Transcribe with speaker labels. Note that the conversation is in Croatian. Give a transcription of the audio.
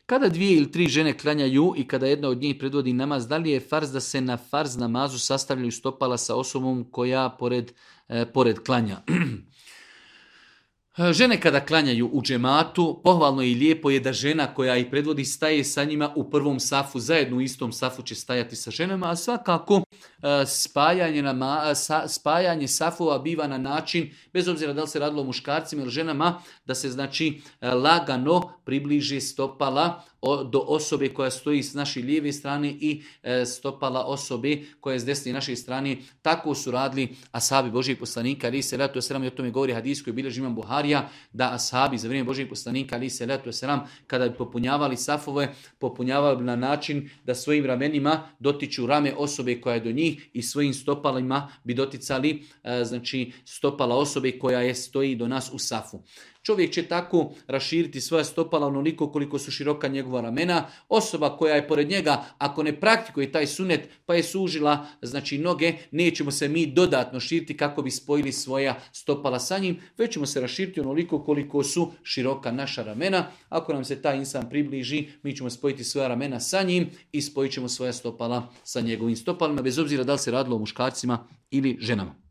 Speaker 1: Kada 2 ili 3 žene klanjaju i kada jedna od njih predvodi namaz, da li je farz da se na farz namazu sastavljaju stopala sa osobom koja pored klanja? Žene kada klanjaju u džematu, pohvalno i lijepo je da žena koja ih predvodi staje sa njima u prvom safu, zajedno u istom safu će stajati sa ženama, a svakako spajanje safova biva na način, bez obzira da li se radilo o muškarcima ili ženama, da se znači lagano približi stopala do osobe koja stoji s naše lijeve strane i stopala osobe koja je s desne naše strane. Tako su radili ashabi Božijeg poslanika, ali se letu selam, i o tome govori hadis koji bilježi Imam Buharija, da ashabi za vrijeme Božijeg poslanika, ali se letu selam, kada bi popunjavali safove, popunjavali na način da svojim ramenima dotiču rame osobe koja je do njih i svojim stopalima bi doticali znači stopala osobe koja stoji do nas u safu. Čovjek će tako raširiti svoja stopala onoliko koliko su široka njegova ramena. Osoba koja je pored njega, ako ne praktikuje taj sunet pa je sužila znači noge, nećemo se mi dodatno širiti kako bi spojili svoja stopala sa njim, već ćemo se raširiti onoliko koliko su široka naša ramena. Ako nam se taj insan približi, mi ćemo spojiti svoja ramena sa njim i spojit ćemo svoja stopala sa njegovim stopalima, bez obzira da li se radilo o muškarcima ili ženama.